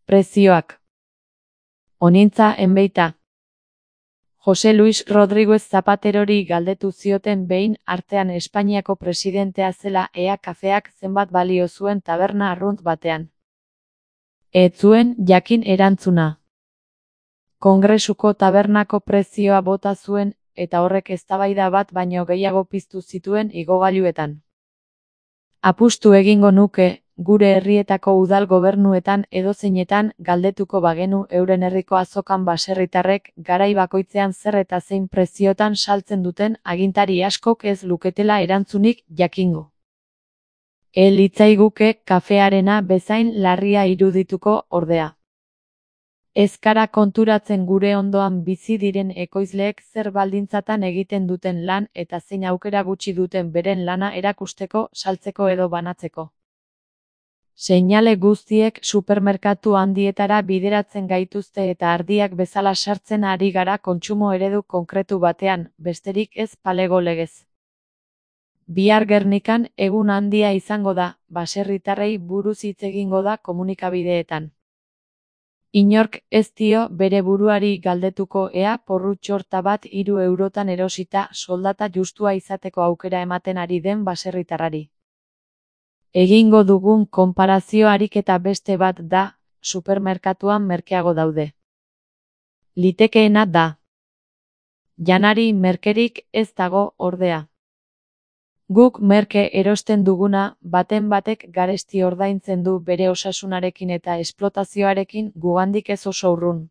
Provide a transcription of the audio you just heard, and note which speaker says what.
Speaker 1: Prezioak. Onintza enbeita. Jose Luis Rodríguez Zapaterori galdetu zioten behin artean Espainiako presidentea zela ea kafeak zenbat balio zuen taberna arrunt batean. Ez zuen jakin erantzuna. Kongresuko tabernako prezioa bota zuen, eta horrek eztabaida bat baino gehiago piztu zituen igogailuetan. Apustu egingo nuke, gure herrietako udal gobernuetan edozeinetan galdetuko bagenu euren herriko azokan baserritarrek garai bakoitzean zer eta zein preziotan saltzen duten agintari askok ez luketela erantzunik jakingo. Litzaiguke kafearena bezain larria irudituko ordea. Ez gara konturatzen gure ondoan bizi diren ekoizleek zer baldintzatan egiten duten lan eta zein aukera gutxi duten beren lana erakusteko, saltzeko edo banatzeko. Seinale guztiek supermerkatu handietara bideratzen gaituzte eta ardiak bezala sartzen ari gara kontsumo eredu konkretu batean, besterik ez palego legez. Bihar Gernikan egun handia izango da, baserritarrei buruz hitz egingo da komunikabideetan. Inork ez dio bere buruari galdetuko ea porrutxorta bat 3 eurotan erosita soldata justua izateko aukera ematen ari den baserritarrari. Egingo dugun konparazio ariketa beste bat da, supermerkatuan merkeago daude. Litekeena da. Janari merkerik ez dago ordea. Guk merke erosten duguna, baten batek garesti ordaintzen du bere osasunarekin eta esplotazioarekin gugandik ez oso urrun.